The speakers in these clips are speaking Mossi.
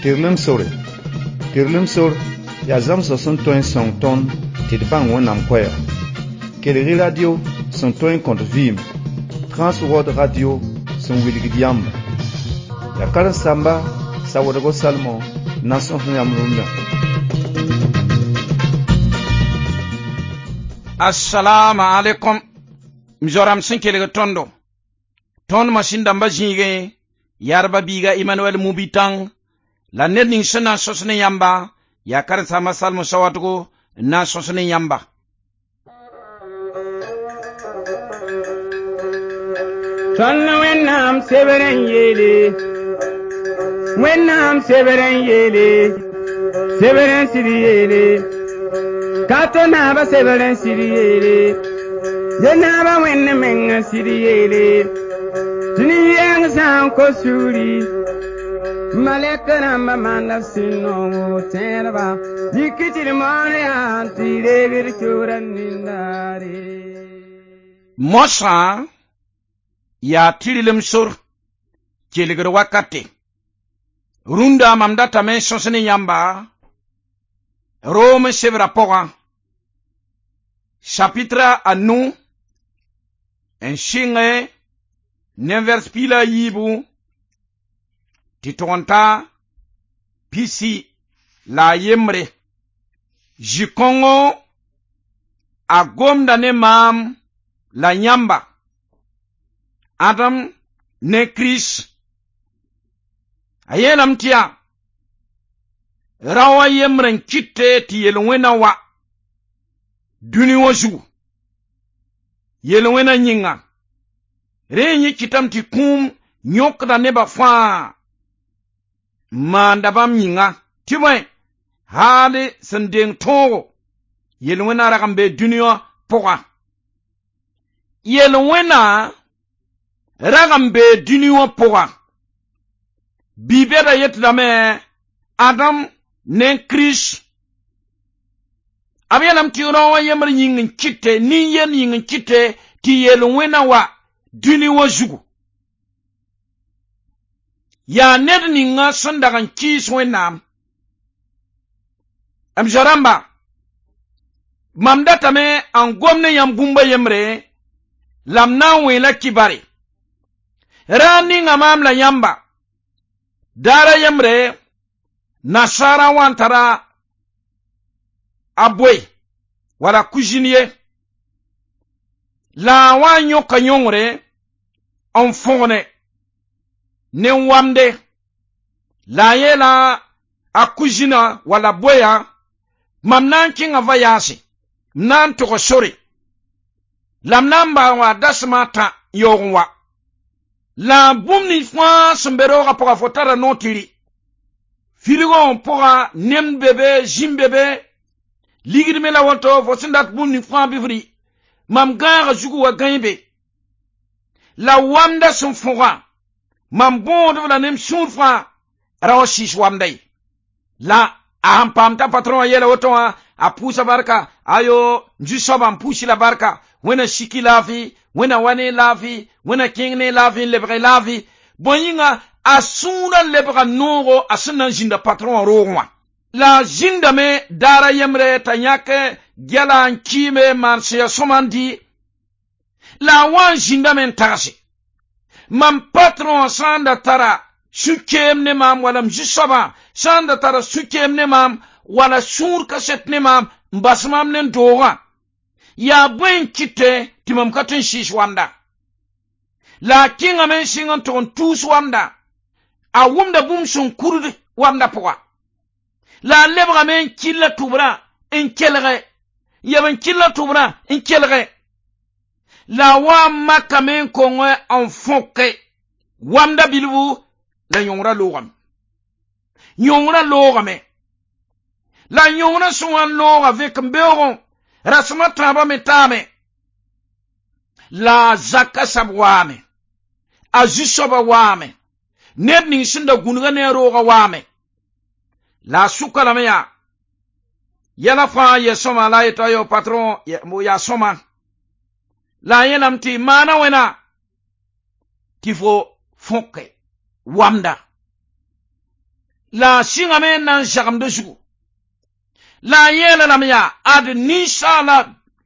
Tɩrlem sore. Tɩrlem sor yaa zãmsg sẽn tõe n sõng tõnd tɩ d bãng Wẽnnaam koɛɛga. Kelg-y radio sẽn tõe n kõt vɩɩm, Transworld Radio sẽn wilgd yãmba. Yaa karen-saamba Sawadogo Salmon n na n sõs yãmb rũndã. Assalamu alaikum. M zoram sẽn kelg tõndo. Tõnd masĩn dãmba zĩigẽ, yarba biiga Emmanuel Mubitang, la ned ning sẽn na n sõs ne yãmba, yaa karen-saamba Salmo Sawadogo n na n sõs ne yãmba. Tõnd Wẽnnaam sebr n yeele, Wẽnnaam sebr n yeele, sebr n sɩd yeele, ka to naaba sebr n sɩd yeele, ye naaba Wẽnd meng n sɩd yeele, tɩ nin-yɛng sã n kos sugri, malɛk rãmbã maanda sũ-noogo tẽedba, yik tɩ d moon yaa tɩ reeg d kiuurã nindaare. Moasã yaa tɩrlem sor kelgd wakate. Rũndã mam datame n sõs ne yãmba Rom sebrã pʋgã, chapitre a nu n sɩngẽ ne vers piig la a yiibu tɩ tʋg n ta pisi la a yembre. Zĩ-kõngo a gomda ne maam la yãmba, Adam ne Kirist. A yeelame tɩ yaa rao a yembr n kɩte tɩ yel-wẽna wa dũni wã zugu. Yel-wẽna yĩnga rẽ yẽ kɩtame tɩ kũum yõkda nebã fãa n maanda bãmb yĩnga tɩ bõe haal sẽn deng tõogo yel-wẽna rag n bee dũni wã pʋga. Yel-wẽna rag n bee dũni wã pʋga. Bi-bɛda yetdame Adam ne Kirist. B yeelame tɩ rao wã yembr yĩng n kɩte, nin-yend yĩng n kɩte tɩ yel-wẽna wa dũni wã zugu. Yaa ned ninga sẽn dag n kɩɩs Wẽnnaam. M zo-rãmba, mam datame n gom ne yãmb bũmb a yembre la m na n wẽe la kibare. Raar ninga maam la yãmba, daar a yembre nasaarã wa n tara a boe wala kuzin ye la a wa n yõka yõngre n fõgne ne wamde la a yeela a kuzina wala boyã mam na n kẽnga vayaase, m na n tog sore la m na n baa wa dasem a tã n yaoog n wa. La bũmb nins fãa sẽn be roogã pʋga fo tara noor tɩ rɩ. Filgã wã pʋga nemd be be, zĩm be be, ligd me la woto fo sẽn dat bũmb ning fãa bɩ f rɩ. Mam gãagã zugu wa gãe be. La wamda sẽn fõgã, mam bõodb la nem sũur fãa ra wã sɩɩs wamda ye. La a sẽn paam t'a patron wã yeela woto wã, a pʋʋsa barka, ayo, zu-soabã n pʋʋs la barka, Wẽnna siki laafɩ, Wẽnna wa ne laafɩ, Wẽnna kẽng ne laafɩ n lebg laafɩ. Bõe yĩnga a sũurã lebga noogo a sẽn na n zĩnda patron wã roogẽ wã. La a zĩndame daar a yembre t'a yãk gɛla n kɩɩme n maan sẽn yaa sõma n dɩ. La a wa n zĩndame n tagse. Mam patron wã sã n da tara sũ-keem ne maam wala m zu-soabã sã n da tara sũ-keem ne maam wala sũur kaset ne maam n bas maam ne n doogã. Yaa bõe n kɩte tɩ mam ka tõe n sɩɩs wamda. La a kẽngame n sɩng n tʋg n tuus wamda. A wʋmda bũmb sẽn kurd wamda pʋga. La a lebgame n kɩlla tʋbrã n kelge. Yeb n kɩlla tʋbrã n kelge. La a wa n makame n kong n fõke wamda bilfu la yõngrã loogame. Yõngrã loogame. La yõngrã sẽn wa n looga vẽk-n-beoogẽ rasem a tãabã me taame. La a zaka sab waame. A zu-soabã waame. Ned ning sẽn da gũnugã ne a roogã waame. La a sʋka lame yaa yɛla fãa yɛ sõma la a yeta yo patron yaa sõma. La a yeelame tɩ maana wẽna tɩ fo fõke wamda. La a sɩngame n na n zagmd zugu. La a yeela lame yaa ad ninsaala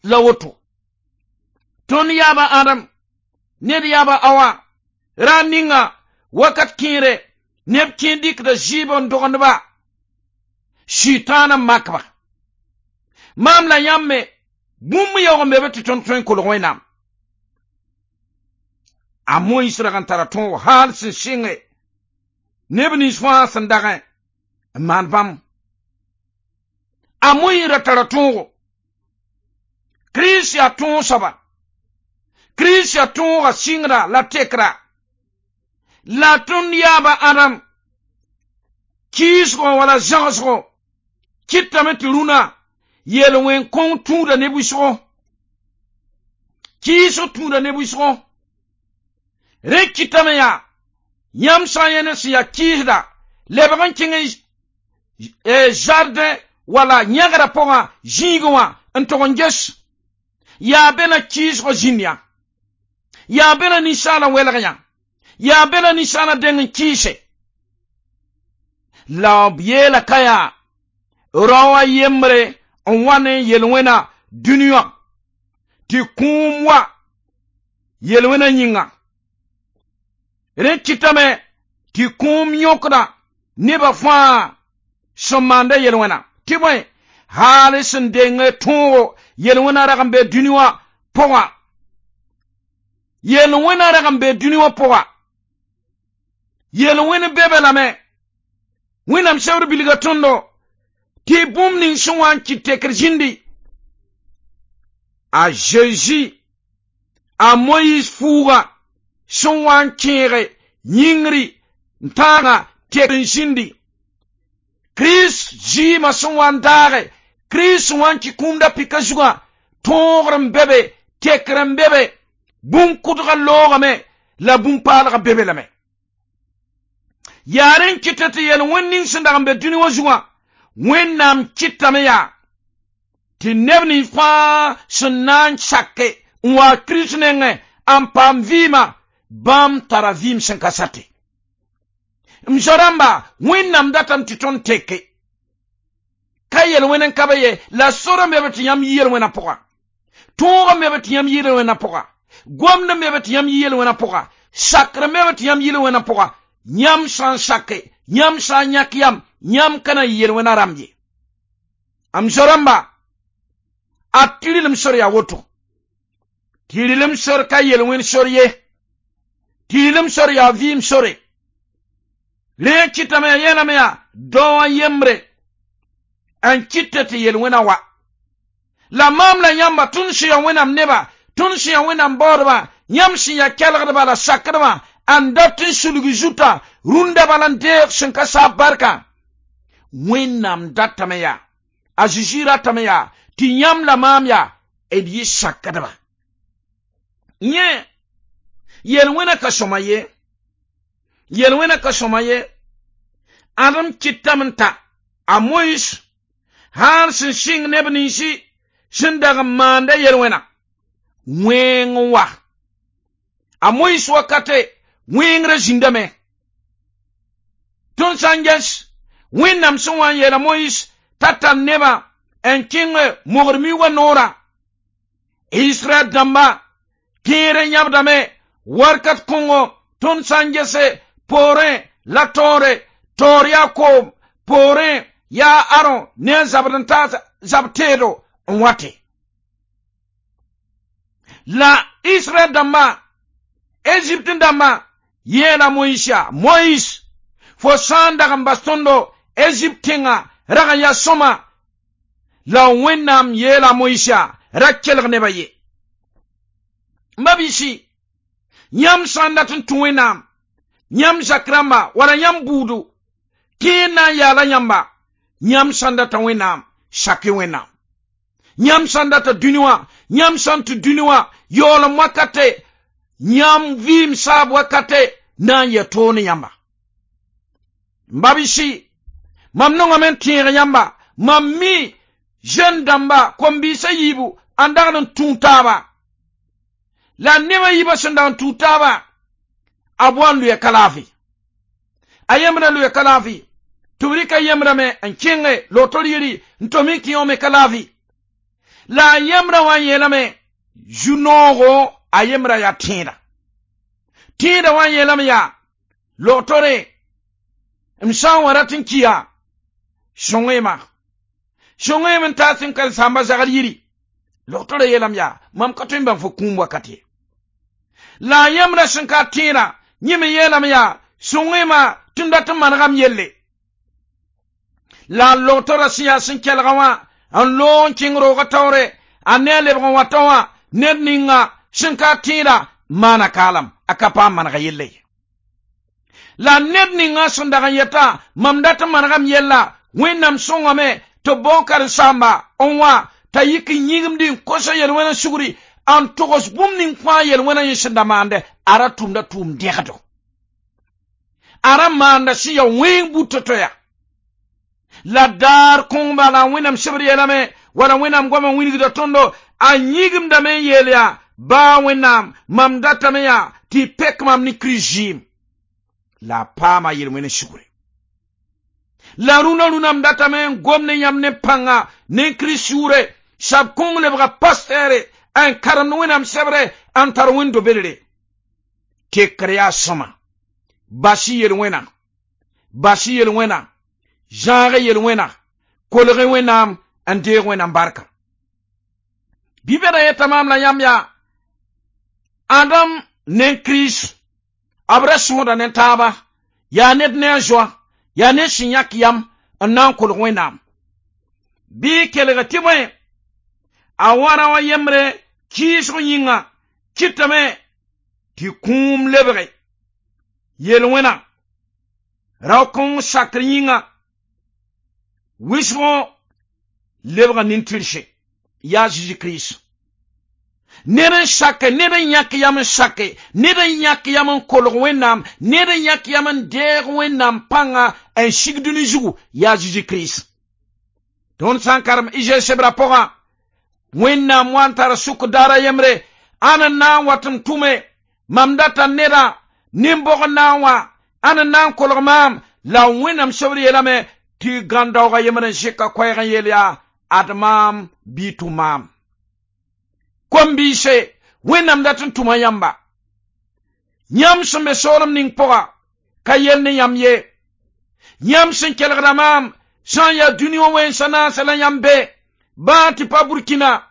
la woto. Tõnd yaaba Adam, ned yaaba Awa, ra ninga wakat kẽere neb kẽ dɩkda zɩɩb n dogend-ba, sɩtaana n makba. Maam la yãmb me bũmb yaoog n be be tɩ tõnd tõe n kolg Wẽnnaam. A Moyis rag n tara tõog haal sẽn sɩnge neb nins fãa sẽn dagẽ n maan bãmb. A Moyis ra tara tõogo. Kirist yaa tõog soaba. Kirist yaa tõoga sɩngda la tekra. La tõnd yaaba Adam kiisgõ wala zãgsgõ kɩtame tɩ rũnã yel-wẽn kõng tũuda ne wɩsgo. Kiisg tũuda ne wɩsgo. Rẽ kɩtame yaa yãmb sã n yẽ ne sẽn yaa kiisda lebg n kẽng jardin wala yãgrã pʋgã zĩigẽ wã n tog n ges yaa be la kiisgõ zĩnd yã, yaa be la ninsaalã welg yã, yaa be la ninsaalã deng n kɩɩse. La b yeela ka yaa rao a yembre n wa ne yel-wẽna dũni wã tɩ kũum wa yel-wẽna yĩnga. Rẽ kɩtame tɩ kũum yõkda nebã fãa sẽn maanda yel-wẽna. Tɩ bõe haal sẽn deng tõogo yel-wẽna rag n be dũni wã pʋgã. Yel-wẽna rag n be dũni wã pʋga. Yel-wẽn be be lame. Wẽnnaam sebr bilga tõndo tɩ bũmb ning sẽn wa n kɩt tekr zĩndi. A Zeezi, a Moyiis fuuga sẽn wa n kẽege yĩngri n tãaga tek n zĩndi. Kirist zɩɩmã sẽn wa n daage, Kirist sẽn wa n kɩ kũumda pika zugã, tõogr n be be, tekr n be be, bũn-kʋdgã loogame la bũn-paalgã be be lame. Yaa rẽ n kɩta tɩ yel-wẽnd ning sẽn dag n be dũni wã zugã, Wẽnnaam kɩtame yaa tɩ neb nins fãa sẽn na n sake n wa Kirist nengẽ n paam vɩɩmã, bãmb tara vɩɩm sẽn ka sate. M zo-rãmba, Wẽnnaam datame tɩ tõnd teke. Ka yel-wẽn n ka be ye, la sor n be be tɩ yãmb yi yel-wẽnã pʋga. Tõog n be be tɩ yãmb yi yel-wẽnã pʋga. Gomd n be be tɩ yãmb yi yel-wẽnã pʋga. Sakr n be be tɩ yãmb yi yel-wẽnã pʋga. Yãmb sã n sake, yãmb sã n yãk yam, yãmb ka na yɩ yel-wẽnã rãmb ye. M zo-rãmba, a tɩrlem sor yaa woto. Tɩrlem sor ka yel-wẽn sor ye. Tɩrlem sor yaa vɩɩm sore. Rẽ kɩtame yaa yeelame yaa dao a yembre n kɩta tɩ yel-wẽna wa. La maam la yãmba tõnd sẽn yaa Wẽnnaam neba, tõnd sẽn yaa Wẽnnaam baoodba, yãmb sẽn yaa kelgdba la sakdbã, n dat n sulg zuta rũndã bala n deeg sẽn ka saab barka. Wẽnnaam datame yaa, a Zeezi ratame yaa tɩ yãmb la maam yaa d yɩ sakdba. Yẽ yel-wẽna ka sõma ye, yel-wẽna ka sõma ye. Ãdem kɩtame n ta a Moyis haal sẽn sɩng neb ninsi sẽn dag n maanda yel-wẽna, wẽng n wa. A Moyis wakate wẽngrã zĩndame. Tõnd sã n ges Wẽnnaam sẽn wa n yeela Moyis t'a tar nebã n kẽng mogr miugã noorã, Israɛl dãmba kẽer n yãbdame warkat kõngo tõnd sã n gese poorẽ la taoore, taoor yaa koom, poorẽ yaa Aron ne a zabd n taas zab teedo n wate. La Israɛl dãmba, Egypte dãmba yeela Moyis yaa, Moyis, fo sã n dag n bas tõndo Egypte tẽngã rag n yaa sõma, la Wẽnnaam yeela Moyis yaa, ra kelg nebã ye. Ma-biisi, yãmb sã n dat n tũ Wẽnnaam, yãmb zak rãmba wala yãmb buudu, kẽer na n yaala yãmba, yãmb sã n data Wẽnnaam, sak Wẽnnaam. Yãmb sã n data dũni wã, yãmb sã n tũ dũni wã, yaoolem wakate, yãmb vɩɩm saab wakate na n yɛ toog ne yãmba. M ba-biisi, mam nongame n tẽeg yãmba, mam mi jeune dãmba kom-biisã yiibu n dagd n tũ taaba. La nebã yiibã sẽn dag n tũ taaba, a boa n lʋya ka laafɩ. A yembra lʋya ka laafɩ. Tɩ b rɩka yembrame n kẽnge lotor yiri n tom n kẽ me ka laafi. La a yembrã wã n yeelame zu-noogo a yembra yaa tẽeda. Tẽeda wã n yeelame yaa logtore m sã n wa rat n kiya sõng-y-ma. Sõng-y-m n taas n karen-saamba zagr yiri. Logtorã yeelame yaa mam ka tõe n bãng fo kũum wakat ye. La a yembrã sẽn ka tẽeda yẽ me yeelame yaa sõng-y-ma tɩ m dat n manegam yelle. La a logtorã sẽn yaa sẽn kelga wã n loog n kẽng roogã taoore a ne a lebg n wa tao wã ned ninga sẽn ka tẽeda maana kaalam a ka paam manega yelle ye. La ned ninga sẽn dag n yeta mam dat n manegam yella Wẽnnaam sõngame tɩ b bao karen-saamba n wa t'a yik n yĩgimdi n kosa yel-wẽna sugri n togs bũmb ning fãa yel-wẽna yẽ sẽn da maande a ra tʋmda tʋʋm dẽgdo. A ra maanda sẽn ya wẽng but to ya. La daar kõng bala Wẽnnaam sebr yeelame wala Wẽnnaam goamã wilgda tõndo a yĩgimdame n yeel yaa baa Wẽnnaam mam datame yaa tɩ y pek mam ne Kirist zɩɩm. La a paama yel-wẽna sugre. La rũnã rũnã m datame n gom ne yãmb ne pãnga ne Kirist sũure sab kõng lebga pastɛɛre n karemd Wẽnnaam sebre n tar wẽnd-do-bedre. Tekr yaa sõma. Bas y yel-wẽna. Bas y yel-wẽna. Zãag yel-wẽna. Kolg Wẽnnaam n deeg Wẽnnaam barka. Bibẽda yeta maam la yãmb yaa Adam ne Kirist b ra sõoda ne taaba yaa ned ne a zoa yaa ned sẽn yãk yam n na n kolg Wẽnnaam. Bɩ kelg tɩ bõe a wara wã yembre kɩɩsg yĩnga kɩtame tɩ kũum lebge yel-wẽna rao-kõng sakr yĩnga wɩsgo lebga nin-tɩrse yaa Zeezi Kirist. Ned n sake ned n yãk yam n sake ned n yãk yam n kolg Wẽnnaam ned n yãk yam n deeg Wẽnnaam pãnga n sig dũni zugu yaa Zeezi Kirist. Tõnd sã n karem Izay sebra pʋgã Wẽnnaam wa n tar sʋk daara yembre ãn n na n wat n tʋme mam data neda nin-bog n na n wa ãn n na n kolg maam la Wẽnnaam sebr yeelame tɩ gãn-daoogã yembr n zɩka koɛɛg n yeel yaa ad maam bɩ tʋ maam. Kom-biise Wẽnnaam dat n tʋma yãmba. Yãmb sẽn be soolem ning pʋga ka yell ne yãmb ye. Yãmb sẽn kelgda maam sã n yaa dũni wã wẽnsa naasã la yãmb be baa tɩ pa Burkina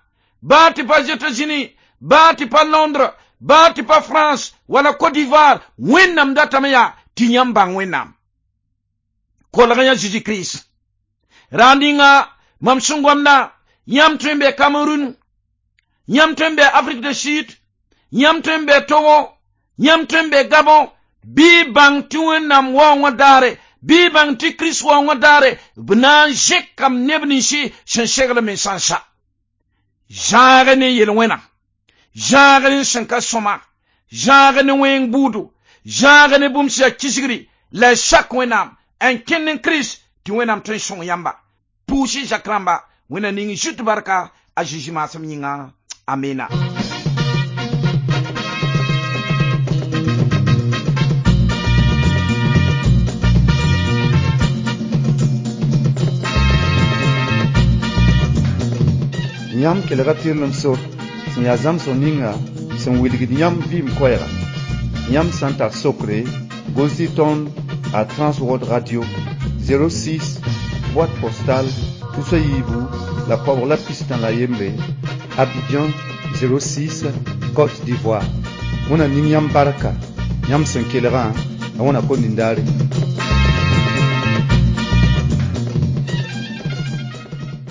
baa tɩ pa États-Unis baa tɩ pa Londres baa tɩ pa France wala Côte d'Ivoire Wẽnnaam datame yaa tɩ yãmb bãng Wẽnnaam. Kolg yã Zeezi Kirist. Raand ninga mam sẽn gomda yãmb tõe n be Cameroun yãmb tõe n be Afrique du Sud yãmb tõe n be Togo yãmb tõe n be Gabon bɩ bãng tɩ Wẽnnaam waoongã daare bɩ bãng tɩ Kirist waoongã daare b na n zẽkam neb ninsi sẽn segl mensã n sa. Zãag ne yel-wẽna zãag ne sẽn ka sõma zãag ne wẽng buudu zãag ne bũmb sẽn yaa kisgri la y sak Wẽnnaam n kẽnd n Kirist tɩ Wẽnnaam tõe n sõng yãmba. Pʋʋs-y zak rãmba Wẽnnaam ning zut barka a Zeezi maasem yĩnga. Amina. Yãmb kelga tɩrlem sor sẽn yaa zãmsg ninga sẽn wilgd yãmb vɩɩm koɛɛga. Yãmb sã n tar sokre gʋls-y tõnd a Transworld Radio 06 boîte postale tusa yiibu la koabg la pistã la yembre Abidjan 06 Côte d'Ivoire. Wẽnnaam ning yãmb barka yãmb sẽn kelgã la Wẽnnaam ko nindaare.